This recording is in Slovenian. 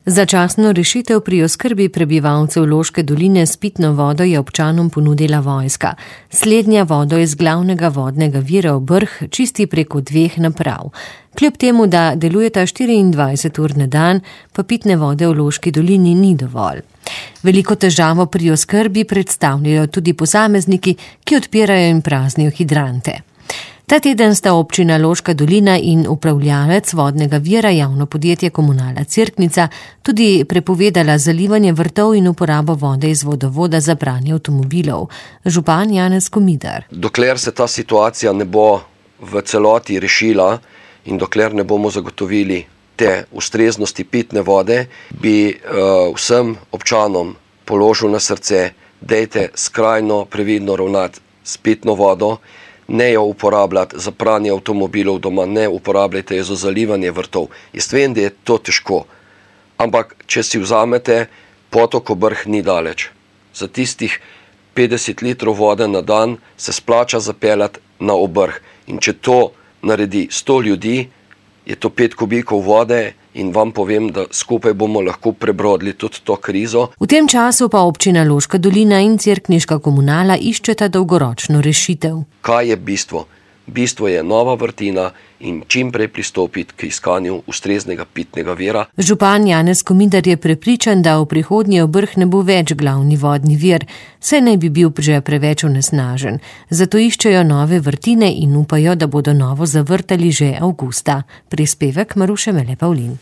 Začasno rešitev pri oskrbi prebivalcev Loške doline s pitno vodo je občanom ponudila vojska. Slednja vodo iz glavnega vodnega vira v Brh čisti preko 2 naprav. Kljub temu, da delujeta 24 ur na dan, pa pitne vode v Loški dolini ni dovolj. Veliko težavo pri oskrbi predstavljajo tudi posamezniki, ki odpirajo in praznijo hidrante. Ta teden sta občina Loška dolina in upravljalec vodnega vira javno podjetje Komunala Cerknica tudi prepovedala zalivanje vrtov in uporabo vode iz vodovoda za pranje avtomobilov. Župan Janez Komidar. Dokler se ta situacija ne bo v celoti rešila in dokler ne bomo zagotovili te ustreznosti pitne vode, bi vsem občanom položil na srce, dajte skrajno previdno ravnati s pitno vodo, ne jo uporabljati za pranje avtomobilov doma, ne uporabljajte jo za zalivanje vrtov. Jaz vem, da je to težko, ampak če si vzamete, potok Brh ni daleč. Za tistih 50 litrov vode na dan se splača zapeljati na Obrh. In če to naredi 100 ljudi, je to 5 kubikov vode in vam povem, da skupaj bomo lahko prebrodili tudi to krizo. V tem času pa občina Loška dolina in cerkniška komunala iščeta dolgoročno rešitev. Kaj je bistvo? Bistvo je nova vrtina in čim prej pristopiti k iskanju ustreznega pitnega vira. Župan Janez Komidar je prepričan, da v prihodnje v Brh ne bo več glavni vodni vir, saj naj bi bil že preveč onesnažen. Zato iščejo nove vrtine in upajo, da bodo novo zavrtali že avgusta. Prispevek Maruše Mele Pavlin.